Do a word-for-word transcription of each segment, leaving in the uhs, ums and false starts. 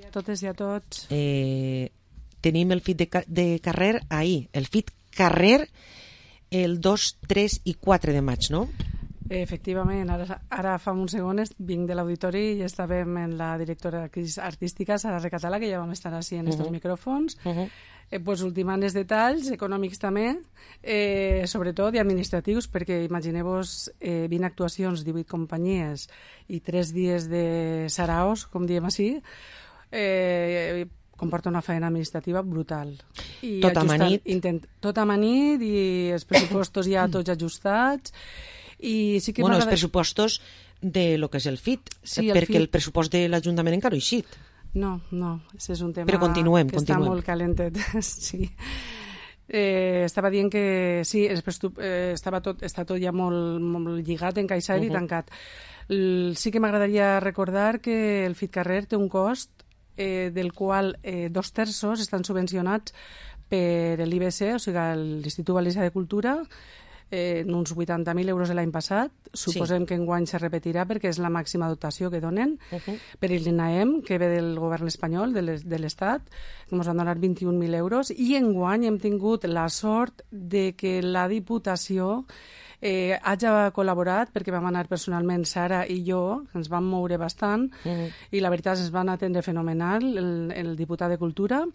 a totes i a tots. Eh, tenim el FIT de, de carrer ahir, el FIT carrer el dos, tres i quatre de maig, no? Efectivament, ara, ara fa uns segons vinc de l'auditori i estàvem en la directora artística, Sara Recatalà, que ja vam estar així en estos uh -huh. micròfons. Uh -huh. eh, pues, ultimant els detalls econòmics també, eh, sobretot i administratius, perquè imagineu-vos eh, vint actuacions, divuit companyies i tres dies de saraos, com diem així, eh, comporta una feina administrativa brutal. I tot amanit. Intent, tot amanit i els pressupostos ja tots ajustats. I sí que bueno, els pressupostos de lo que és el FIT, sí, perquè el, FIT... el pressupost de l'Ajuntament encara no ha eixit. No, no, això és un tema Però continuem, que continuem. està molt calentet. Sí. Eh, estava dient que sí, eh, estava tot, està tot ja molt, molt lligat, encaixat uh -huh. i tancat. L sí que m'agradaria recordar que el FIT Carrer té un cost eh, del qual eh, dos terços estan subvencionats per l'I B C, o sigui, l'Institut Valencià de Cultura, eh, uns vuitanta mil euros de l'any passat. Suposem sí. que enguany se repetirà perquè és la màxima dotació que donen. Uh -huh. Per l'INAEM, que ve del govern espanyol, de l'Estat, que ens van donar vint-i-un mil euros. I enguany hem tingut la sort de que la Diputació eh, hagi col·laborat, perquè vam anar personalment Sara i jo, ens vam moure bastant, uh -huh. i la veritat ens van atendre fenomenal, el, el diputat de Cultura.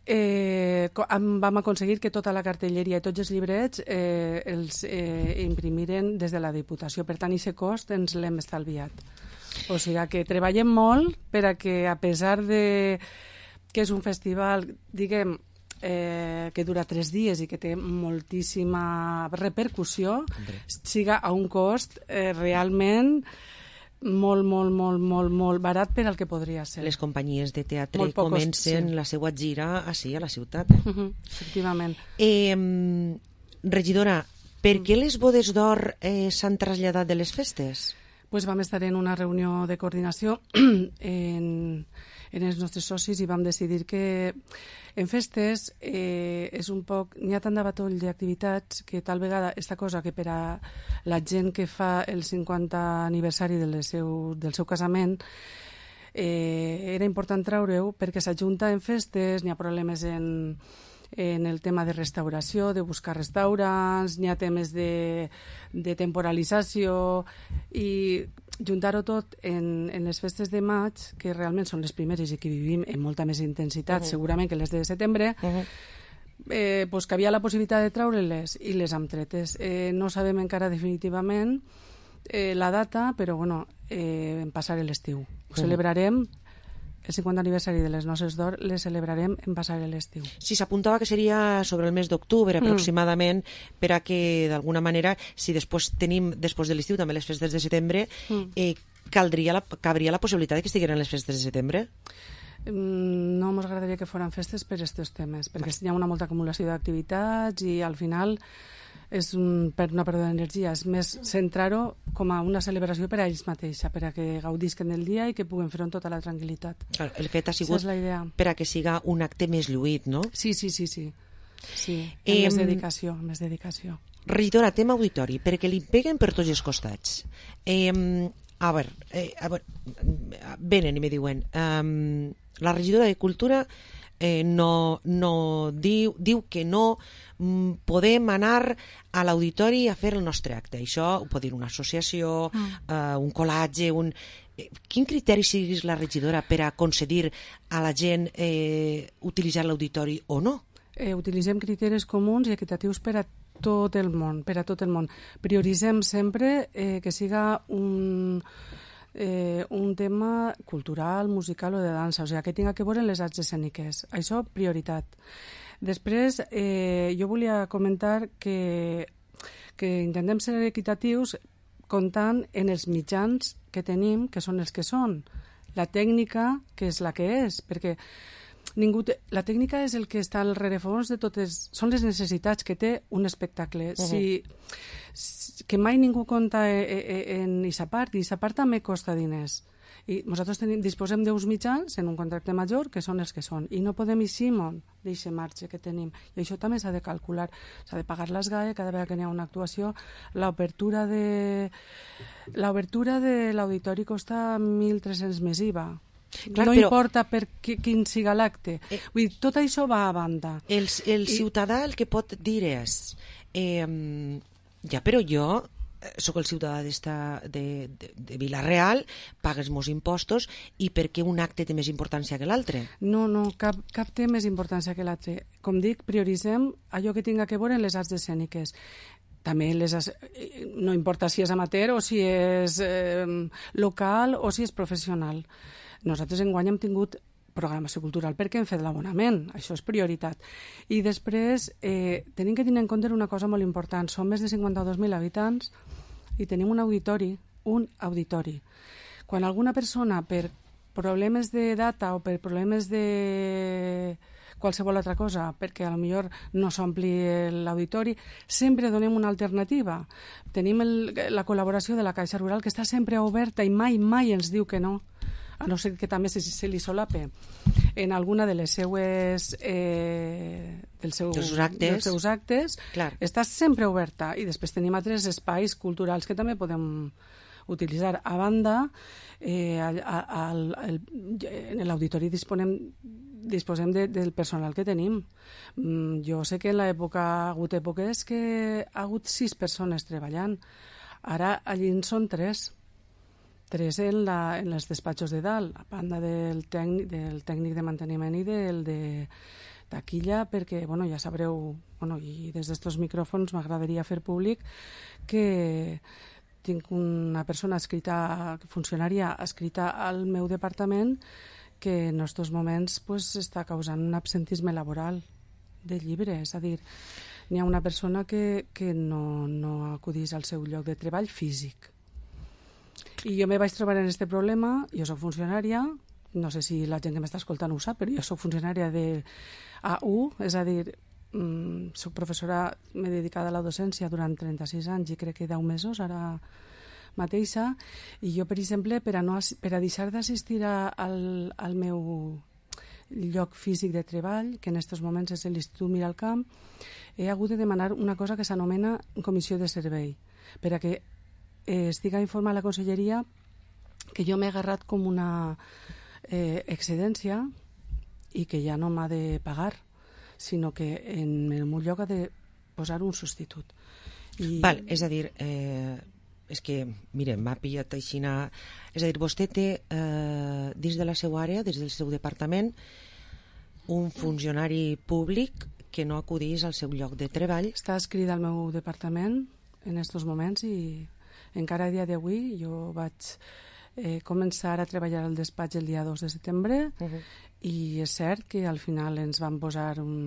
Eh, vam aconseguir que tota la cartelleria i tots els llibrets eh, els eh, imprimiren des de la Diputació. Per tant, aquest cost ens l'hem estalviat. O sigui que treballem molt per a que, a pesar de que és un festival, diguem, eh, que dura tres dies i que té moltíssima repercussió, Hombre. siga a un cost eh, realment molt, molt, molt, molt, molt barat per al que podria ser. Les companyies de teatre comencen sí. la seva gira així, a la ciutat. Uh -huh, efectivament. Eh, regidora, per què les bodes d'or eh, s'han traslladat de les festes? Pues vam estar en una reunió de coordinació en, en els nostres socis i vam decidir que en festes eh, és un poc... N'hi ha tant de batoll d'activitats que tal vegada aquesta cosa que per a la gent que fa el cinquanta aniversari del seu, del seu casament eh, era important treure-ho perquè s'ajunta en festes, n'hi ha problemes en, en el tema de restauració, de buscar restaurants, n'hi ha temes de, de temporalització i juntar-ho tot en, en les festes de maig, que realment són les primeres i que vivim amb molta més intensitat, uh -huh. segurament que les de setembre, uh -huh. eh, pues que havia la possibilitat de treure-les i les hem tretes. Eh, no sabem encara definitivament eh, la data, però bueno, eh, en passar l'estiu. Ho uh -huh. celebrarem, el cinquanta aniversari de les Noces d'Or les celebrarem en passar l'estiu. Sí, s'apuntava que seria sobre el mes d'octubre aproximadament, mm. per a que d'alguna manera, si després tenim després de l'estiu també les festes de setembre, mm. eh, caldria la, cabria la possibilitat de que estigueren les festes de setembre? Mm, no ens agradaria que foren festes per aquests temes, perquè hi ha una molta acumulació d'activitats i al final és un, per una pèrdua d'energia. És més centrar-ho com a una celebració per a ells mateixa, per a que gaudisquen del dia i que puguen fer-ho amb tota la tranquil·litat. Clar, el fet ha sigut per a que siga un acte més lluït, no? Sí, sí, sí, sí. sí. Eh, més dedicació, més dedicació. Regidora, tema auditori, perquè li peguen per tots els costats. Eh, a veure, eh, a veure, venen i me diuen, eh, la regidora de Cultura eh, no, no diu, diu que no mm, podem anar a l'auditori a fer el nostre acte. Això ho pot dir una associació, mm. eh, un col·latge, un... Quin criteri siguis la regidora per a concedir a la gent eh, utilitzar l'auditori o no? Eh, utilitzem criteris comuns i equitatius per a tot el món, per a tot el món. Prioritzem sempre eh, que siga un... Eh, un tema cultural, musical o de dansa, o sigui, que tinga que veure les arts escèniques. Això, prioritat. Després, eh, jo volia comentar que, que intentem ser equitatius comptant en els mitjans que tenim, que són els que són. La tècnica, que és la que és, perquè ningú te... la tècnica és el que està al rerefons de totes... Són les necessitats que té un espectacle. Uh-huh. Si... que mai ningú compta en aquesta part, i aquesta part també costa diners. I nosaltres tenim, disposem d'uns mitjans en un contracte major que són els que són, i no podem eixir d'aquest marge que tenim. I això també s'ha de calcular. S'ha de pagar les G A E cada vegada que hi ha una actuació. L'obertura de l'obertura de l'auditori costa mil tres-cents més I V A. Clar, no però... importa per qui, quin siga l'acte. Eh... Vull dir, tot això va a banda. El, el I... ciutadà el que pot dir és eh, ja, però jo sóc el ciutadà de, de, de Vila-real, pagues molts impostos, i per què un acte té més importància que l'altre? No, no, cap, cap té més importància que l'altre. Com dic, prioritzem allò que tinga que veure en les arts escèniques. També les, no importa si és amateur o si és eh, local o si és professional. Nosaltres enguany hem tingut programació cultural perquè hem fet l'abonament, això és prioritat. I després eh, tenim que tenir en compte una cosa molt important, som més de cinquanta-dos mil habitants i tenim un auditori, un auditori. Quan alguna persona per problemes de data o per problemes de qualsevol altra cosa, perquè a lo millor no s'ompli l'auditori, sempre donem una alternativa. Tenim el, la col·laboració de la Caixa Rural, que està sempre oberta i mai, mai ens diu que no, a no ser que també se, se li solape en alguna de les seues eh, del seu, dels actes, dels seus actes, clar, està sempre oberta. I després tenim altres espais culturals que també podem utilitzar. A banda, eh, al, al, al, en l'auditori disponem disposem de, del personal que tenim. Mm, jo sé que en l'època ha hagut èpoques que ha hagut sis persones treballant. Ara allí en són tres. Tres en, la, en els despatxos de dalt, a banda del tècnic, del tècnic de manteniment i del de taquilla, perquè, bueno, ja sabreu, bueno, i des d'estos micròfons m'agradaria fer públic que tinc una persona escrita, funcionària escrita al meu departament, que en aquests moments pues, està causant un absentisme laboral de llibre. És a dir, n'hi ha una persona que, que no, no acudís al seu lloc de treball físic. I jo me vaig trobar en aquest problema, jo soc funcionària, no sé si la gent que m'està escoltant ho sap, però jo soc funcionària de A U, és a dir, mmm, soc professora, m'he dedicat a la docència durant trenta-sis anys i crec que deu mesos, ara mateixa, i jo, per exemple, per a, no, per a deixar d'assistir al, al meu lloc físic de treball, que en aquests moments és l'Institut Miralcamp, he hagut de demanar una cosa que s'anomena comissió de servei, per a que eh, estigui informada la conselleria que jo m'he agarrat com una eh, excedència i que ja no m'ha de pagar, sinó que en el meu lloc ha de posar un substitut. I... Val, és a dir... Eh... és que, mire, m'ha pillat aixina... És a dir, vostè té eh, dins de la seva àrea, des del seu departament, un funcionari públic que no acudís al seu lloc de treball. Està escrit al meu departament en aquests moments i encara a dia d'avui jo vaig eh, començar a treballar al despatx el dia dos de setembre uh-huh. i és cert que al final ens van posar un,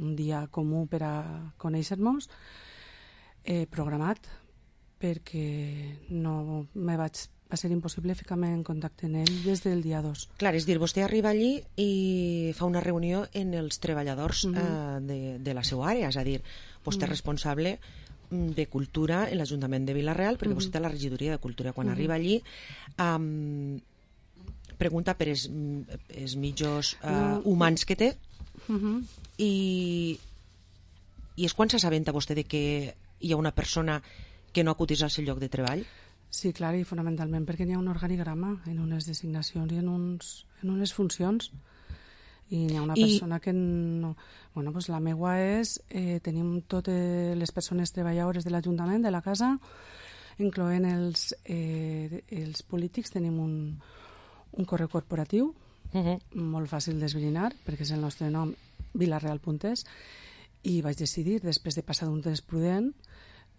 un dia comú per a conèixer-nos eh, programat, perquè no me vaig, va ser impossible ficar-me en contacte amb ell des del dia dos. Clar, és dir, vostè arriba allí i fa una reunió en els treballadors mm-hmm. eh, de, de la seva àrea, és a dir, vostè mm-hmm. és responsable de cultura en l'Ajuntament de Vila-real, perquè mm-hmm. vostè té la regidoria de cultura. Quan mm-hmm. arriba allí, um, pregunta per els, els mitjos uh, no. humans que té mm-hmm. i, i és quan s'assabenta vostè de que hi ha una persona que no acudís al seu lloc de treball? Sí, clar, i fonamentalment perquè n'hi ha un organigrama en unes designacions i en, uns, en unes funcions i n'hi ha una I... persona que no... Bueno, pues la meua és... Eh, tenim totes les persones treballadores de l'Ajuntament, de la casa, incloent els, eh, els polítics, tenim un, un correu corporatiu uh-huh. molt fàcil d'esbrinar, perquè és el nostre nom, vilareal punt es, i vaig decidir, després de passar d'un temps prudent,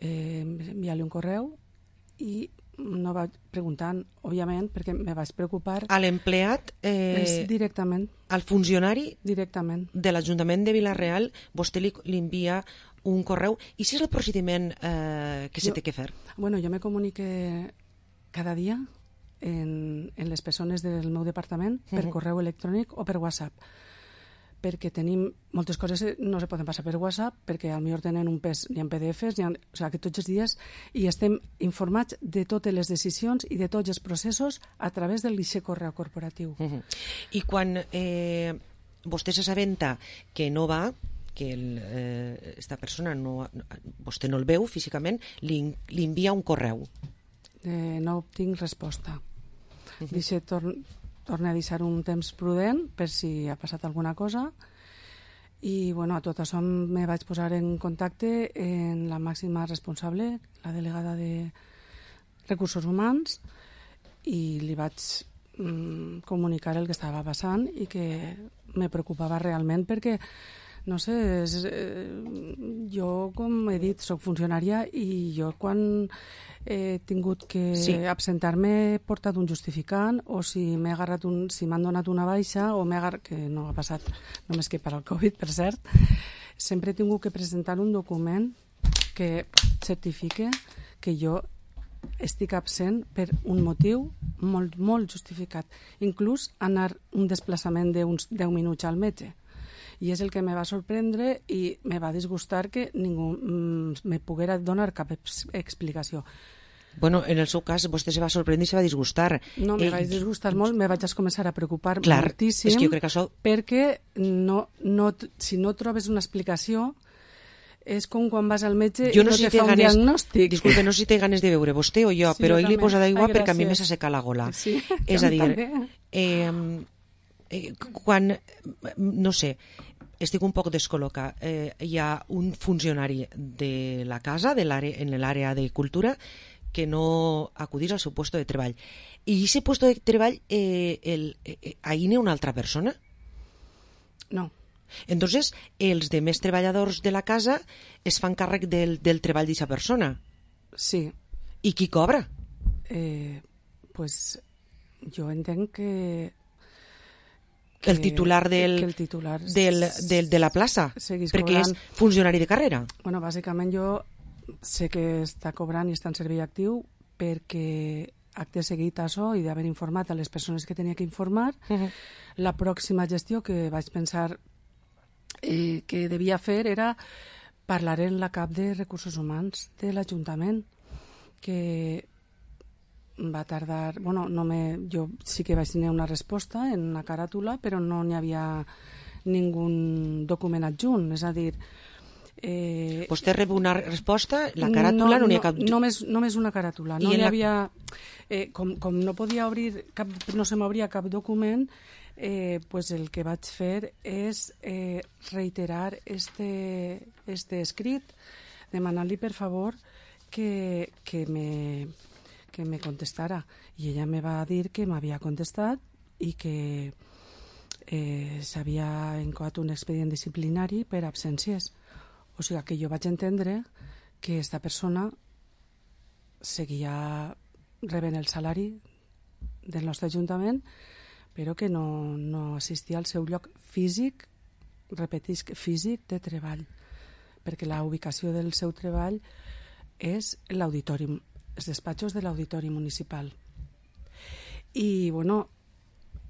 Eh, enviar-li un correu i no vaig preguntant, òbviament, perquè me vaig preocupar. A l'empleat? Eh, directament. Al funcionari? Directament. De l'Ajuntament de Vila-real, vostè li, li envia un correu. I si és el procediment eh, que jo, se té que fer? Bueno, jo me comunique cada dia en, en les persones del meu departament per uh-huh. correu electrònic o per WhatsApp, perquè tenim moltes coses no se poden passar per WhatsApp, perquè potser tenen un pes, n'hi ha P D Fs, ha, o sigui, que tots els dies i estem informats de totes les decisions i de tots els processos a través del lixe correu corporatiu. Uh-huh. I quan eh, vostè s'assabenta que no va, que el, eh, esta persona no, vostè no el veu físicament, li, li envia un correu. Eh, no obtinc resposta. Uh-huh. Dice, torn... torne a deixar un temps prudent per si ha passat alguna cosa. I bueno, a tot això me vaig posar en contacte amb la màxima responsable, la delegada de Recursos Humans, i li vaig mm, comunicar el que estava passant i que me preocupava realment perquè, no sé, és, eh, jo, com he dit, soc funcionària i jo quan he tingut que sí. absentar-me he portat un justificant, o si m'he agarrat un, si m'han donat una baixa, o m'he agarrat, que no ha passat només que per al Covid, per cert, sempre he tingut que presentar un document que certifique que jo estic absent per un motiu molt, molt justificat. Inclús anar un desplaçament d'uns deu minuts al metge. I és el que me va sorprendre i me va disgustar que ningú mm, me poguera donar cap ex explicació. Bueno, en el seu cas, vostè se va sorprendre i se va disgustar. No, me eh, vaig disgustar molt, me vaig començar a preocupar clar, moltíssim, és que jo crec que això... perquè no, no, si no trobes una explicació, és com quan vas al metge jo i no, no si te fa un ganes, diagnòstic. Disculpe, no sé si té ganes de veure vostè o jo, sí, però jo ell li posa d'aigua perquè a mi m'ha s'asseca la gola. Sí, és a dir, eh, eh, quan, no sé, estic un poc descol·locat. Eh, hi ha un funcionari de la casa, de en l'àrea de cultura, que no acudís al seu puesto de treball. I aquest puesto de treball, eh, el, eh, ahí n'hi ha una altra persona? No. Entonces, els demés treballadors de la casa es fan càrrec del, del treball d'aquesta persona? Sí. I qui cobra? Eh, pues jo entenc que... Que el titular del, que el titular del, del, de la plaça, perquè cobrant. és funcionari de carrera. Bueno, bàsicament jo sé que està cobrant i està en servei actiu perquè acte seguit a això i d'haver informat a les persones que tenia que informar, uh-huh. la pròxima gestió que vaig pensar eh, que devia fer era parlar en la cap de Recursos Humans de l'Ajuntament, que va tardar... Bueno, no me, jo sí que vaig tenir una resposta en una caràtula, però no n'hi havia ningú document adjunt, és a dir... Eh, Vostè rep una resposta, la caràtula no, no n'hi ha cap... Només, només una caràtula. No n'hi havia... Eh, com, com no podia obrir cap, no se m'obria cap document, eh, pues el que vaig fer és eh, reiterar este, este escrit, demanant-li per favor que, que me... que me contestara, i ella me va dir que m'havia contestat i que eh, s'havia encoat un expedient disciplinari per absències. O sigui que jo vaig entendre que esta persona seguia rebent el salari del nostre Ajuntament, però que no, no assistia al seu lloc físic, repetisc, físic de treball, perquè la ubicació del seu treball és l'auditori, els despatxos de l'Auditori Municipal. I, bueno,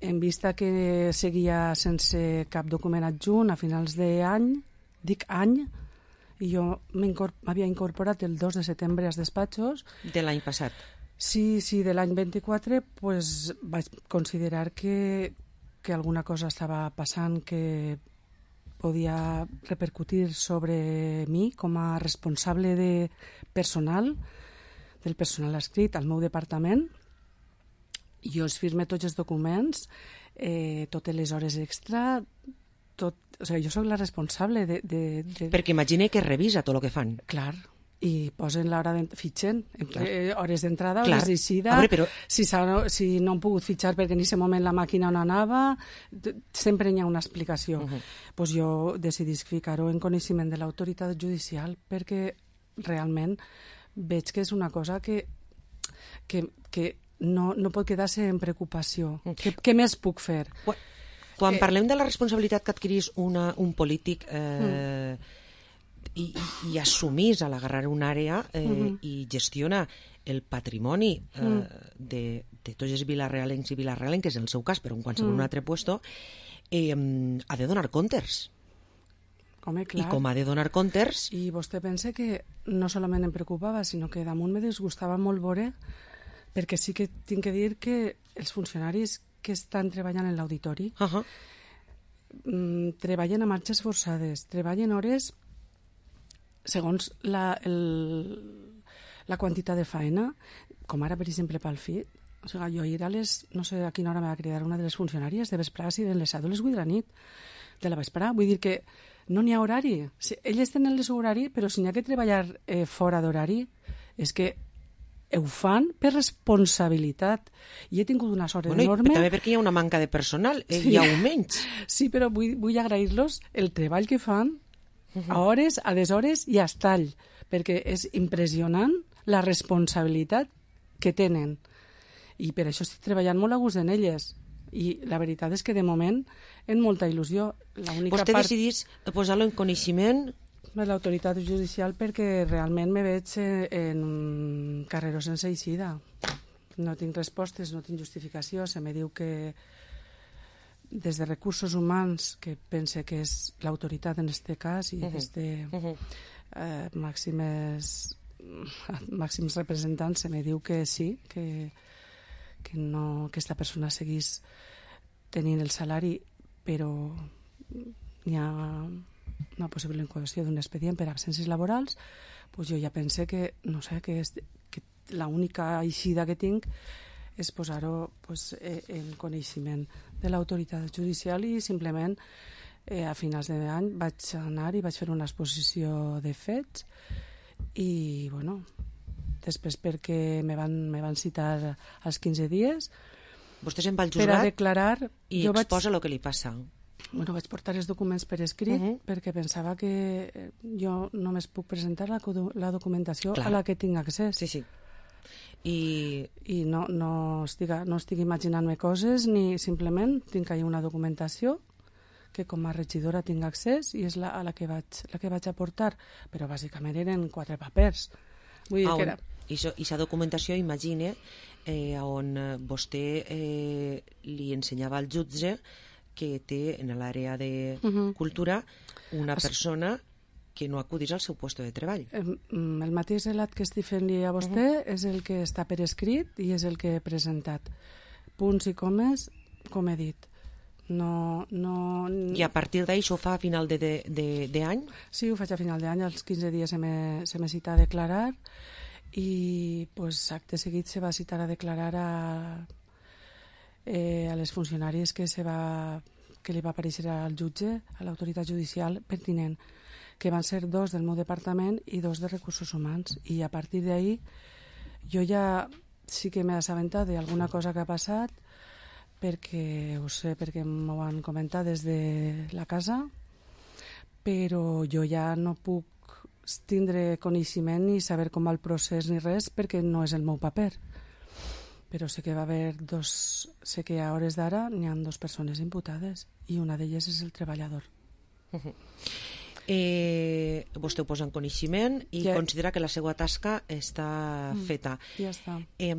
en vista que seguia sense cap document adjunt a finals d'any, dic any, i jo m'havia incorporat el dos de setembre als despatxos. De l'any passat? Sí, sí, de l'any vint-i-quatre, pues, vaig considerar que, que alguna cosa estava passant que podia repercutir sobre mi com a responsable de personal, del personal adscrit al meu departament. Jo es firme tots els documents, eh, totes les hores extra, tot, o sigui, jo sóc la responsable de, de, de... Perquè imagine que revisa tot el que fan. Clar, i posen l'hora de... fitxen, eh, hores d'entrada, Clar. hores d'eixida, veure, però... si, si no han pogut fitxar perquè en aquest moment la màquina no anava, sempre hi ha una explicació. Uh-huh. Pues jo decidís ficar-ho en coneixement de l'autoritat judicial perquè realment veig que és una cosa que, que, que no, no pot quedar-se en preocupació. Què, què més puc fer? Quan eh, parlem de la responsabilitat que adquirís una, un polític eh, mm. i, i assumís a l'agarrar una àrea eh, mm-hmm. i gestiona el patrimoni eh, mm. de, de tots els vilarrealencs i vilarrealenques, en el seu cas, però en qualsevol mm. un altre puesto, eh, ha de donar comptes. Home, clar. I com ha de donar comptes... I vostè pensa que no solament em preocupava, sinó que damunt me disgustava molt veure, perquè sí que tinc que dir que els funcionaris que estan treballant en l'auditori uh-huh. mmm, treballen a marxes forçades, treballen hores segons la, el, la quantitat de faena, com ara, per exemple, pel F I, O sigui, jo ir a les... No sé a quina hora me va cridar una de les funcionàries de vesprà, si eren les set o les vuit de la nit, de la vesprà. Vull dir que no n'hi ha horari. Si, elles tenen el seu horari, però si n'hi ha que treballar eh, fora d'horari, és que ho fan per responsabilitat. I he tingut una sort bueno, enorme... També perquè hi ha una manca de personal, eh, sí. hi ha un menys. Sí, però vull, vull agrair-los el treball que fan a hores, a deshores i a estall, perquè és impressionant la responsabilitat que tenen. I per això estic treballant molt a gust en elles. I la veritat és que de moment en molta il·lusió. Vostè part... decidís posar-lo en coneixement de l'autoritat judicial perquè realment me veig en un carreró sense eixida. No tinc respostes, no tinc justificació. Se me diu que des de recursos humans, que pense que és l'autoritat en aquest cas, i uh -huh. des de uh -huh. eh, màximes, màxims representants, se me diu que sí, que, que no, que aquesta persona seguís tenint el salari, però hi ha una possible incoació d'un expedient per absències laborals. Pues jo ja pense que, no sé, que, és, que l'única eixida que tinc és posar-ho pues, eh, en coneixement de l'autoritat judicial i simplement eh, a finals d'any vaig anar i vaig fer una exposició de fets i, bueno, després perquè me van, me van citar als quinze dies. Vostè se'n va al juzgat per a declarar, i exposa el vaig... que li passa. Bueno, vaig portar els documents per escrit uh -huh. perquè pensava que jo només puc presentar la, la documentació Clar. a la que tinc accés. Sí, sí. I, I no, no, estic, no estic imaginant-me coses, ni simplement tinc ahí una documentació que com a regidora tinc accés i és la, a la que vaig, la que vaig aportar, però bàsicament eren quatre papers. Vull dir ah, que era... I aquesta documentació, imagine, eh, on vostè eh, li ensenyava al jutge que té en l'àrea de uh -huh. cultura una persona que no acudís al seu lloc de treball. El mateix relat que estic fent-li a vostè uh -huh. és el que està per escrit i és el que he presentat. Punts i comes, com he dit. No, no... I a partir d'ahir ho fa a final d'any? De, de, de sí, ho faig a final d'any. Als quinze dies se me, se me cita a declarar i pues, acte seguit se va citar a declarar a, eh, a les funcionàries que, se va, que li va aparèixer al jutge, a l'autoritat judicial pertinent, que van ser dos del meu departament i dos de recursos humans. I a partir d'ahir jo ja sí que m'he assabentat d'alguna cosa que ha passat, perquè ho sé, perquè m'ho han comentat des de la casa, però jo ja no puc tindre coneixement ni saber com va el procés ni res, perquè no és el meu paper. Però sé que va haver dos... Sé que a hores d'ara n'hi ha dues persones imputades i una d'elles és el treballador. Uh-huh. Eh, vostè ho posa en coneixement i ja. considera que la seva tasca està mm, feta. Ja està. Eh,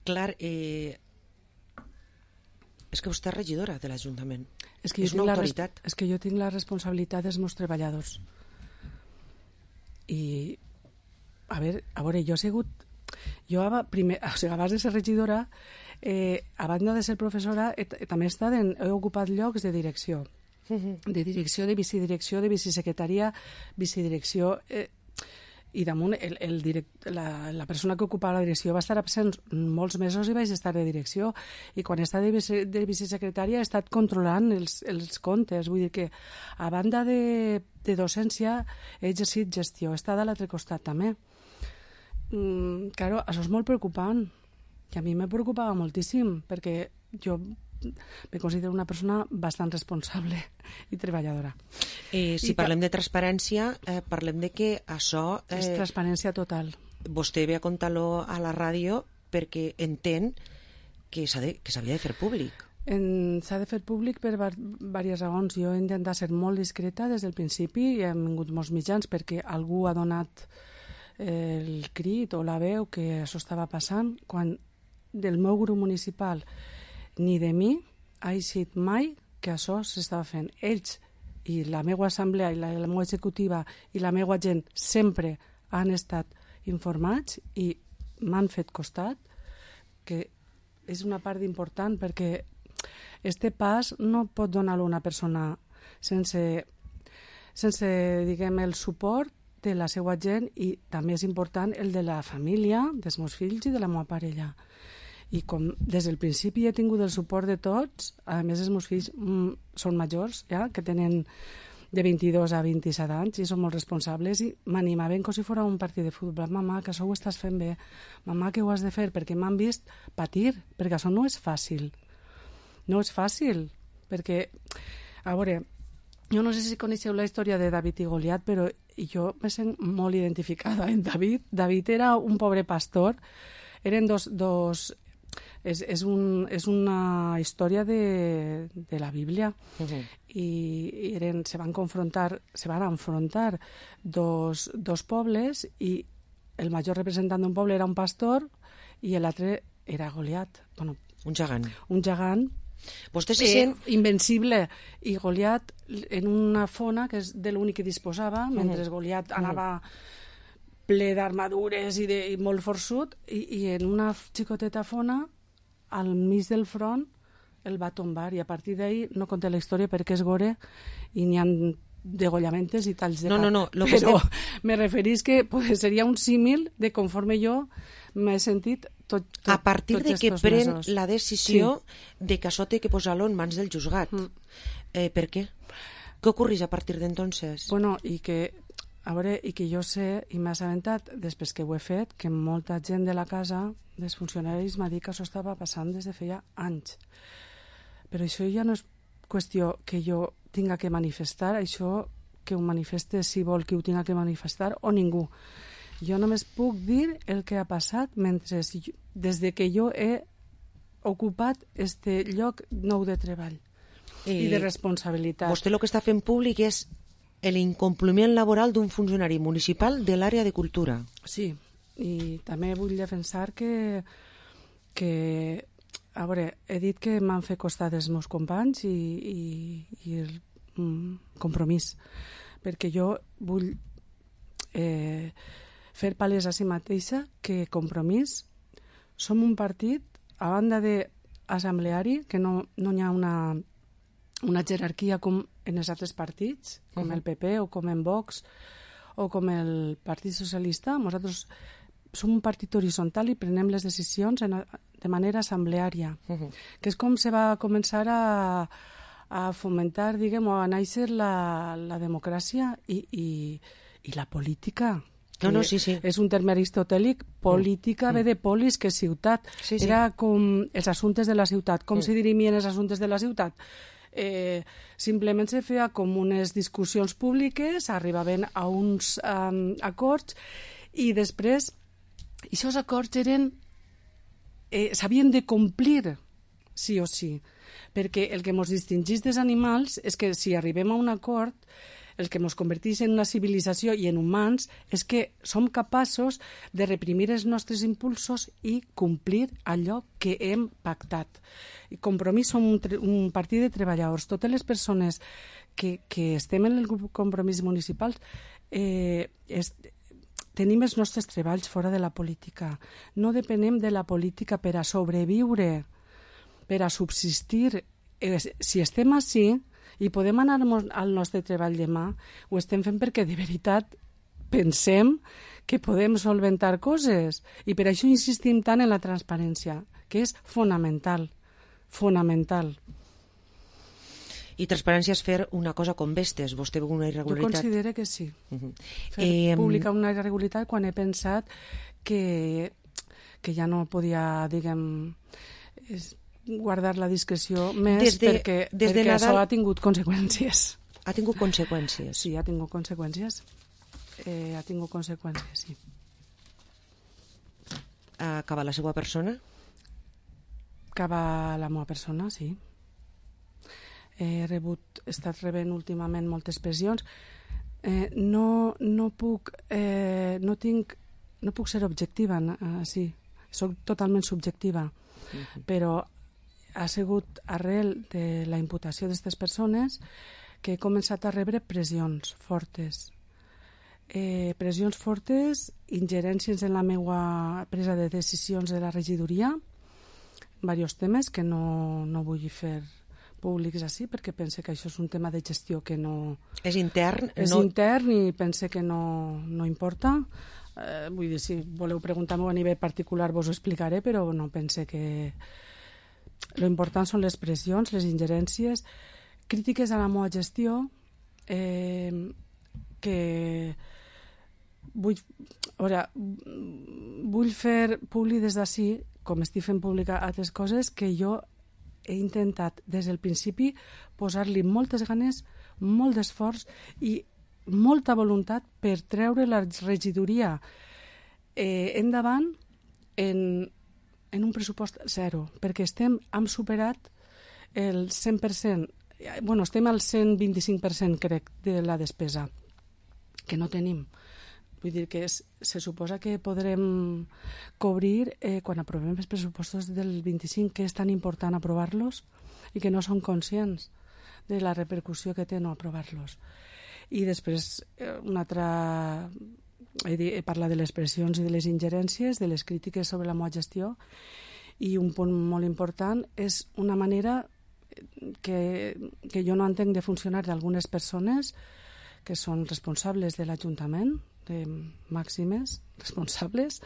clar, eh, és que vostè és regidora de l'Ajuntament. És que, és una autoritat. És que jo tinc la responsabilitat dels meus treballadors. I, a veure, a veure jo he sigut... Jo, primer, o sigui, abans de ser regidora, eh, a banda de ser professora, he, també he, estat en, he ocupat llocs de direcció. De direcció, de vicedirecció, de vicesecretaria, vicedirecció... Eh, i damunt el, el direct, la, la persona que ocupava la direcció va estar absent molts mesos i vaig estar de direcció, i quan he estat de, vice, de vicesecretària he estat controlant els, els comptes. Vull dir que a banda de, de docència he exercit gestió, he estat a l'altre costat també. Mm, claro, això és molt preocupant i a mi me preocupava moltíssim perquè jo me considero una persona bastant responsable i treballadora. Eh, si I parlem de transparència, eh, parlem de que això... Eh, és transparència total. Vostè ve a contar-lo a la ràdio perquè entén que s'havia de, de fer públic. S'ha de fer públic per diverses raons. Jo he intentat ser molt discreta des del principi i hem vingut molts mitjans perquè algú ha donat el crit o la veu que això estava passant, quan del meu grup municipal ni de mi ha eixit mai que això s'estava fent. Ells i la meva assemblea i la, la meva executiva i la meva gent sempre han estat informats i m'han fet costat, que és una part important perquè este pas no pot donar-lo una persona sense, sense diguem, el suport té la seva gent i també és important el de la família, dels meus fills i de la meva parella. I com des del principi he tingut el suport de tots, a més els meus fills mm, són majors, ja, que tenen de vint-i-dos a vint-i-set anys i són molt responsables i m'animaven com si fos un partit de futbol. Mamà, que això ho estàs fent bé. Mamà, que ho has de fer, perquè m'han vist patir, perquè això no és fàcil. No és fàcil, perquè, a veure, jo no sé si coneixeu la història de David i Goliat, però jo me sent molt identificada en David. David era un pobre pastor, eren dos... dos és, és, un, és una història de, de la Bíblia. Uh-huh. I, i eren, se van confrontar, se van enfrontar dos, dos pobles i el major representant d'un poble era un pastor i l'altre era Goliat. Bueno, un gegant. Un gegant. Vostè se sent... Eh, invencible. I Goliat en una fona que és de l'únic que disposava, uh-huh. mentre Goliat anava ple d'armadures i, de, i molt forçut, i, i en una xicoteta fona al mig del front el va tombar i a partir d'ahí no conté la història perquè és gore i n'hi ha degollamentes i talls de no, cap. No, no, lo però que estem... me referís que pues, seria un símil de conforme jo m'he sentit tot, tot, a partir de que pren mesos. La decisió sí. de que això té que posar-lo en mans del juzgat. Mm. Eh, per què? Què ocorreix a partir d'entonces? Bueno, i que a veure, i que jo sé, i m'ha assabentat, després que ho he fet, que molta gent de la casa, dels funcionaris, m'ha dit que això estava passant des de feia anys. Però això ja no és qüestió que jo tinga que manifestar, això que ho manifeste si vol que ho tinga que manifestar o ningú. Jo només puc dir el que ha passat mentre, des de que jo he ocupat este lloc nou de treball i, i de responsabilitat. Vostè el que està fent públic és l'incompliment laboral d'un funcionari municipal de l'àrea de cultura. Sí, i també vull defensar que, que a veure, he dit que m'han fet costat els meus companys i, i, i el mm, compromís, perquè jo vull eh, fer palès a si mateixa que Compromís som un partit, a banda d'assembleari, que no, no hi ha una una jerarquia com en els altres partits, com uh-huh. el P P o com en Vox o com el Partit Socialista. Nosaltres som un partit horitzontal i prenem les decisions en, de manera assembleària, uh-huh. que és com se va començar a, a fomentar, diguem, o a néixer la, la democràcia i, i, i la política. No, no, sí, sí. És un terme aristotèlic, política mm. ve de polis, que és ciutat. Sí, sí. Era com els assumptes de la ciutat. Com mm. se dirimien els assumptes de la ciutat? Eh, simplement se feia com unes discussions públiques, arribaven a uns um, acords i després aquests acords eren eh, s'havien de complir sí o sí, perquè el que ens distingeix dels animals és que si arribem a un acord, el que ens converteix en una civilització i en humans és que som capaços de reprimir els nostres impulsos i complir allò que hem pactat. I Compromís som un, un partit de treballadors. Totes les persones que, que estem en el grup Compromís municipal eh, és, tenim els nostres treballs fora de la política. No depenem de la política per a sobreviure, per a subsistir. Eh, si estem així i podem anar al nostre treball demà, ho estem fent perquè de veritat pensem que podem solventar coses i per això insistim tant en la transparència, que és fonamental, fonamental. I transparència és fer una cosa com vestes. Vostè veu una irregularitat? Jo considero que sí. Uh-huh. Fer eh, pública una irregularitat quan he pensat que, que ja no podia, diguem... És, guardar la discreció més des de, perquè, des perquè de Nadal... això ha tingut conseqüències. Ha tingut conseqüències? Sí, ha tingut conseqüències. Eh, ha tingut conseqüències, sí. Acaba la seva persona? Acaba la meva persona, sí. He rebut, he estat rebent últimament moltes pressions. Eh, no, no puc, eh, no tinc, no puc ser objectiva, eh, sí. Soc totalment subjectiva, uh-huh. però ha sigut arrel de la imputació d'aquestes persones que he començat a rebre pressions fortes. Eh, pressions fortes, ingerències en la meva presa de decisions de la regidoria, diversos temes que no, no vull fer públics així, perquè pense que això és un tema de gestió que no... És intern? És no... intern i pense que no, no importa. Eh, vull dir, si voleu preguntar-m'ho a nivell particular vos ho explicaré, però no pense que... Lo important són les pressions, les ingerències, crítiques a la meva gestió, eh, que vull, veure, vull fer públic des d'ací, com estic fent pública altres coses, que jo he intentat des del principi posar-li moltes ganes, molt d'esforç i molta voluntat per treure la regidoria eh, endavant en, en un pressupost zero, perquè estem, hem superat el cent per cent, bueno, estem al cent vint-i-cinc per cent, crec, de la despesa, que no tenim. Vull dir que és, se suposa que podrem cobrir eh, quan aprovem els pressupostos del vint-i-cinc, que és tan important aprovar-los i que no són conscients de la repercussió que té no aprovar-los. I després, eh, una altra... He, dit, he parlat de les pressions i de les ingerències, de les crítiques sobre la meva gestió, i un punt molt important és una manera que, que jo no entenc de funcionar d'algunes persones que són responsables de l'Ajuntament, de màximes responsables,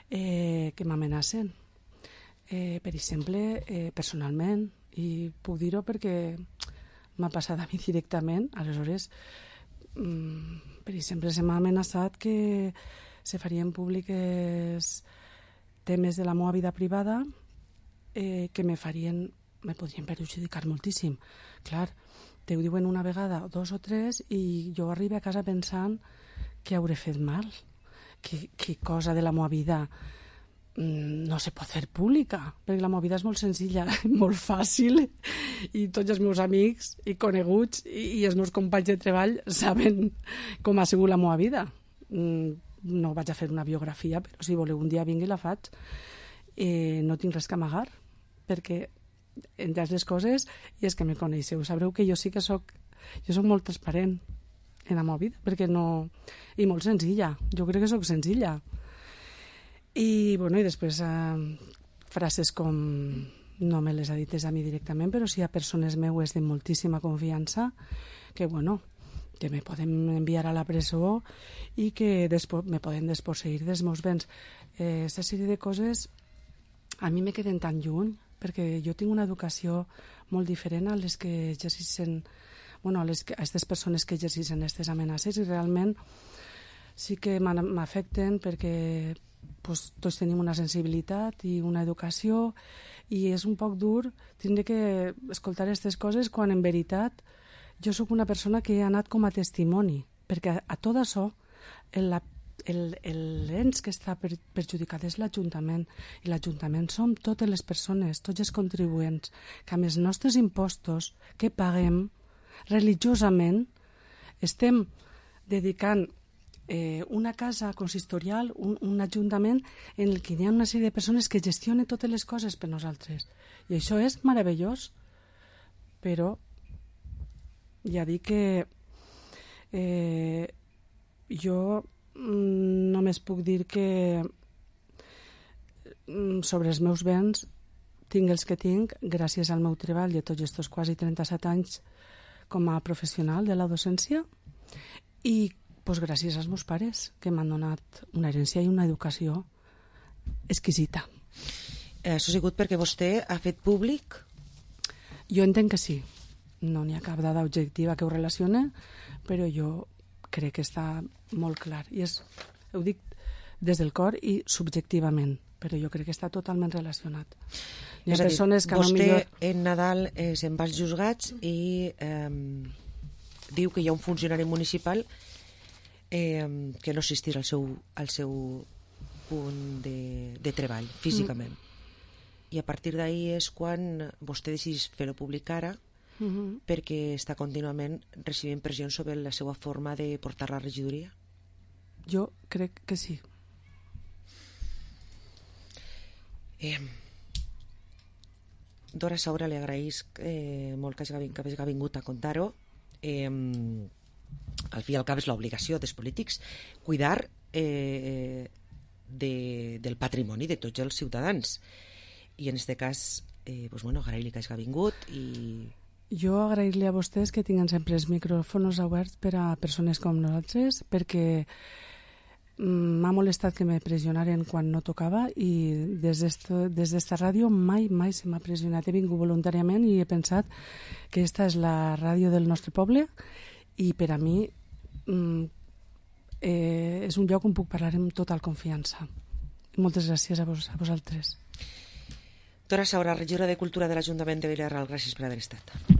eh, que m'amenacen. Eh, per exemple, eh, personalment, i puc dir-ho perquè m'ha passat a mi directament, aleshores, mm, per exemple, se m'ha amenaçat que se farien públiques temes de la meva vida privada eh, que me farien, me podrien perjudicar moltíssim. Clar, te ho diuen una vegada, dos o tres, i jo arribo a casa pensant que hauré fet mal, que, que cosa de la meva vida no se pot fer pública, perquè la meva vida és molt senzilla, molt fàcil, i tots els meus amics i coneguts i, i els meus companys de treball saben com ha sigut la meva vida. No vaig a fer una biografia, però si voleu un dia vingui i la faig. Eh, no tinc res que amagar, perquè entre les coses, i és que me coneixeu, sabreu que jo sí que soc, jo soc molt transparent en la meva vida, perquè no... I molt senzilla, jo crec que soc senzilla. I, bueno, i després eh, frases com, no me les ha dites a mi directament, però sí a persones meues de moltíssima confiança, que, bueno, que me poden enviar a la presó i que despo, me poden desposseir dels meus béns. Eh, aquesta sèrie de coses a mi me queden tan lluny, perquè jo tinc una educació molt diferent a les que exerceixen, bueno, a les que, a aquestes persones que exerceixen aquestes amenaces, i realment sí que m'afecten perquè pues, tots tenim una sensibilitat i una educació, i és un poc dur tindre que escoltar aquestes coses quan en veritat jo sóc una persona que he anat com a testimoni, perquè a, a tot això el, el, el l'ens que està per, perjudicat és l'Ajuntament, i l'Ajuntament som totes les persones, tots els contribuents, que amb els nostres impostos que paguem religiosament estem dedicant eh, una casa consistorial, un, un ajuntament en el que hi ha una sèrie de persones que gestionen totes les coses per nosaltres. I això és meravellós, però ja dic que eh, jo mm, només puc dir que mm, sobre els meus béns tinc els que tinc gràcies al meu treball de tots aquests quasi trenta-set anys com a professional de la docència, i pues, gràcies als meus pares, que m'han donat una herència i una educació exquisita. Això ha sigut perquè vostè ha fet públic? Jo entenc que sí. No n'hi ha cap dada objectiva que ho relacione, però jo crec que està molt clar. I és, ho dic des del cor i subjectivament, però jo crec que està totalment relacionat. Hi ha persones que vostè, no millor... en Nadal eh, se'n va als juzgats i eh, diu que hi ha un funcionari municipal eh, que no assistirà al seu, al seu punt de, de treball, físicament. Mm. I a partir d'ahir és quan vostè decideix fer-ho públic ara, mm-hmm. perquè està contínuament recibint pressions sobre la seva forma de portar la regidoria? Jo crec que sí. Eh, Dora Saura, li agraeix eh, molt que hagi, que hagi vingut a contar-ho. Eh, al fi i al cap és l'obligació dels polítics cuidar eh, de, del patrimoni de tots els ciutadans, i en aquest cas eh, pues, bueno, agrair-li que hagi vingut i... Jo agrair-li a vostès que tinguen sempre els micròfons oberts per a persones com nosaltres, perquè m'ha molestat que me pressionaren quan no tocava i des d'esta ràdio mai, mai se m'ha pressionat. He vingut voluntàriament i he pensat que esta és la ràdio del nostre poble i per a mi eh, és un lloc on puc parlar amb total confiança. Moltes gràcies a, vos, a vosaltres. Dora Saura, regidora de Cultura de l'Ajuntament de Vila-real, gràcies per haver estat.